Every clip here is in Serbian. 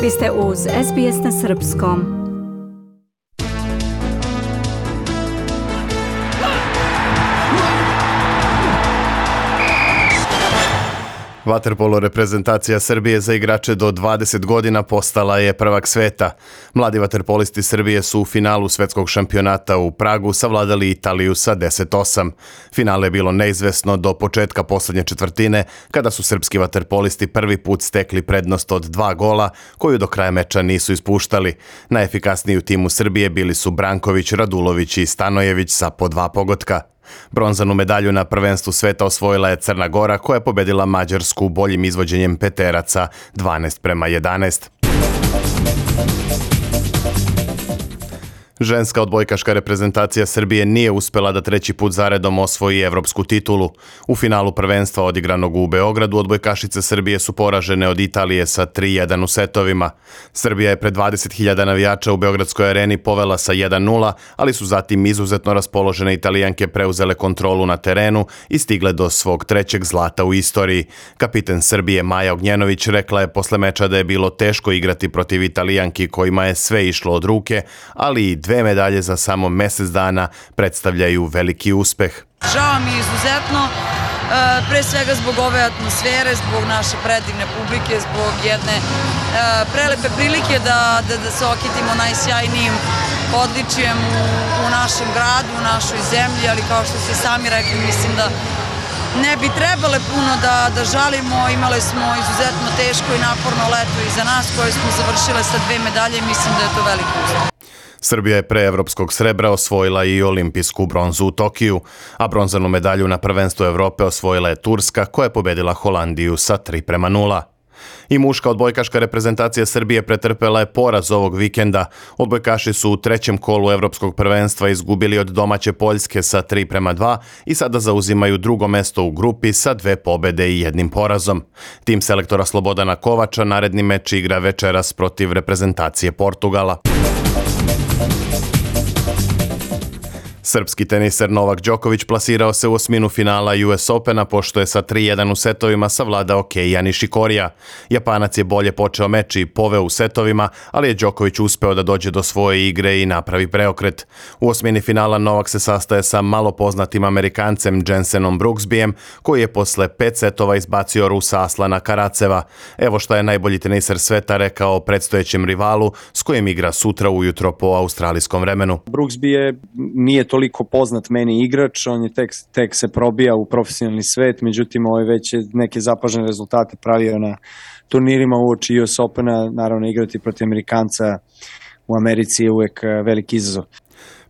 Vi ste uz SBS na Srpskom. Vaterpolo reprezentacija Srbije za igrače do 20 godina postala je prvak sveta. Mladi vaterpolisti Srbije su u finalu svetskog šampionata u Pragu savladali Italiju sa 10-8. Finale je bilo neizvesno do početka poslednje četvrtine, kada su srpski vaterpolisti prvi put stekli prednost od 2 gola, koju do kraja meča nisu ispuštali. Najefikasniji u timu Srbije bili su Branković, Radulović i Stanojević sa po 2 pogotka. Bronzanu medalju na prvenstvu sveta osvojila je Crna Gora, koja je pobedila Mađarsku boljim izvođenjem peteraca 12:11. Ženska odbojkaška reprezentacija Srbije nije uspela da treći put zaredom osvoji evropsku titulu. U finalu prvenstva odigranog u Beogradu odbojkašice Srbije su poražene od Italije sa 3:1 u setovima. Srbija je pred 20.000 navijača u Beogradskoj areni povela sa 1:0, ali su zatim izuzetno raspoložene Italijanke preuzele kontrolu na terenu i stigle do svog trećeg zlata u istoriji. Kapiten Srbije Maja Ognjenović rekla je posle meča da je bilo teško igrati protiv Italijanki kojima je sve išlo od ruke, ali i 2 medalje za samo mesec dana predstavljaju veliki uspeh. Žao mi je izuzetno, pre svega zbog ove atmosfere, zbog naše predivne publike, zbog jedne prelepe prilike da se okitimo najsjajnijim odličjem u našem gradu, u našoj zemlji, ali kao što ste sami rekli, mislim da ne bi trebale puno da žalimo. Imali smo izuzetno teško i naporno leto iza nas koje smo završile sa 2 medalje i mislim da je to veliki uspeh. Srbija je pre evropskog srebra osvojila i olimpijsku bronzu u Tokiju, a bronzanu medalju na prvenstvu Evrope osvojila je Turska, koja je pobedila Holandiju sa 3:0. I muška odbojkaška reprezentacija Srbije pretrpela je poraz ovog vikenda. Odbojkaši su u trećem kolu evropskog prvenstva izgubili od domaće Poljske sa 3:2 i sada zauzimaju drugo mesto u grupi sa 2 pobede i 1 porazom. Tim selektora Slobodana Kovača naredni meč igra večeras protiv reprezentacije Portugala. Srpski teniser Novak Đoković plasirao se u osminu finala US Opena pošto je sa 3:1 u setovima savladao Keija Nišikorija. Japanac je bolje počeo meč i poveo u setovima, ali je Đoković uspeo da dođe do svoje igre i napravi preokret. U osmini finala Novak se sastaje sa malo poznatim Amerikancem Jensenom Brooksbyjem, koji je posle 5 setova izbacio Rusa Aslana Karaceva. Evo šta je najbolji teniser sveta rekao o predstojećem rivalu s kojim igra sutra ujutro po australijskom vremenu. Brooksby nije toliko poznat meni igrač, on je tek se probija u profesionalni svet, međutim već je neke zapažene rezultate pravio na turnirima uoči US Opena, naravno igrati protiv Amerikanca u Americi je uvek veliki izazov.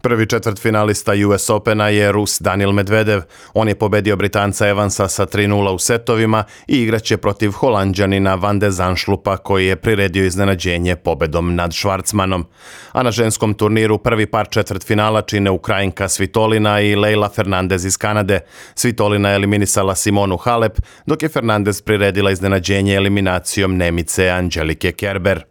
Prvi četvrtfinalista US Opena je Rus Daniil Medvedev. On je pobedio Britanca Evansa sa 3:0 u setovima i igraće protiv Holanđanina Van de Zandschulpa, koji je priredio iznenađenje pobedom nad Schwarzmanom. A na ženskom turniru prvi par četvrtfinala čine Ukrajinka Svitolina i Leyla Fernandez iz Kanade. Svitolina je eliminisala Simonu Halep, dok je Fernandez priredila iznenađenje eliminacijom Nemice Angelike Kerber.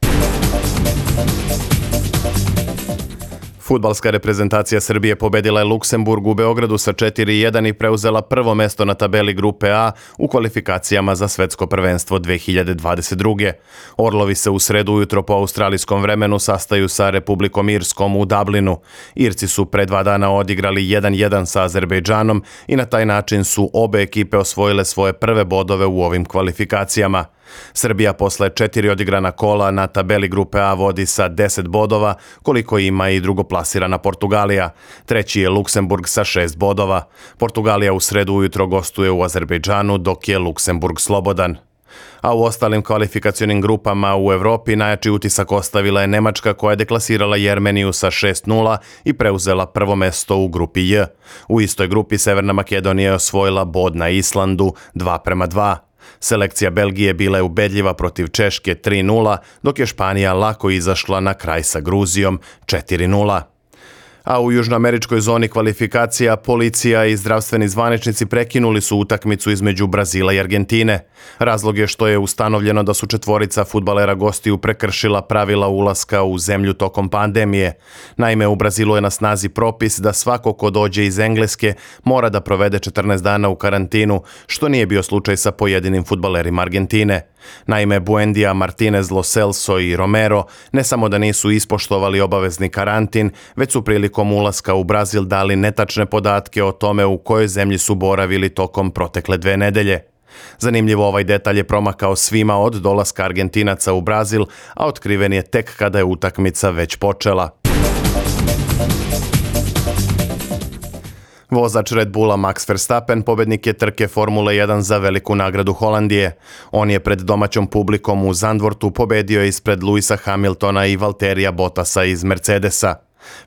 Fudbalska reprezentacija Srbije pobedila je Luksemburg u Beogradu sa 4:1 i preuzela prvo mesto na tabeli grupe A u kvalifikacijama za svetsko prvenstvo 2022. Orlovi se u sredu ujutro po australijskom vremenu sastaju sa Republikom Irskom u Dublinu. Irci su pre 2 dana odigrali 1:1 sa Azerbejdžanom i na taj način su obe ekipe osvojile svoje prve bodove u ovim kvalifikacijama. Srbija posle 4 odigrana kola na tabeli grupe A vodi sa 10 bodova, koliko ima i drugoplasirana Portugalija. Treći je Luksemburg sa 6 bodova. Portugalija u sredu ujutro gostuje u Azerbejdžanu, dok je Luksemburg slobodan. A u ostalim kvalifikacionim grupama u Evropi najjači utisak ostavila je Nemačka, koja je deklasirala Jermeniju sa 6:0 i preuzela prvo mesto u grupi J. U istoj grupi Severna Makedonija je osvojila bod na Islandu 2:2. Selekcija Belgije bila je ubedljiva protiv Češke 3:0, dok je Španija lako izašla na kraj sa Gruzijom 4:0. A u južnoameričkoj zoni kvalifikacija policija i zdravstveni zvaničnici prekinuli su utakmicu između Brazila i Argentine. Razlog je što je ustanovljeno da su četvorica fudbalera gostiju prekršila pravila ulaska u zemlju tokom pandemije. Naime, u Brazilu je na snazi propis da svako ko dođe iz Engleske mora da provede 14 dana u karantinu, što nije bio slučaj sa pojedinim fudbalerima Argentine. Naime, Buendija, Martinez, Lo Celso i Romero ne samo da nisu ispoštovali obavezni karantin, već su prilikom ulaska u Brazil dali netačne podatke o tome u kojoj zemlji su boravili tokom protekle 2 nedelje. Zanimljivo, ovaj detalj je promakao svima od dolaska Argentinaca u Brazil, a otkriven je tek kada je utakmica već počela. Vozač Red Bulla Max Verstappen pobednik je trke Formule 1 za veliku nagradu Holandije. On je pred domaćom publikom u Zandvortu pobedio ispred Lewisa Hamiltona i Valterija Bottasa iz Mercedesa.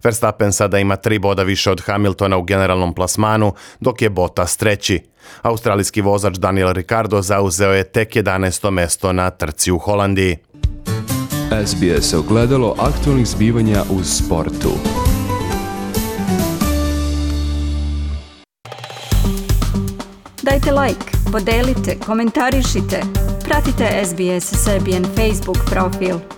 Verstappen sada ima 3 boda više od Hamiltona u generalnom plasmanu, dok je Bottas treći. Australijski vozač Daniel Ricciardo zauzeo je tek 11. mesto na trci u Holandiji. SBS ogledalo aktualnih zbivanja u sportu. Dajte like, podelite, komentarišite. Pratite SBS Serbian Facebook profil.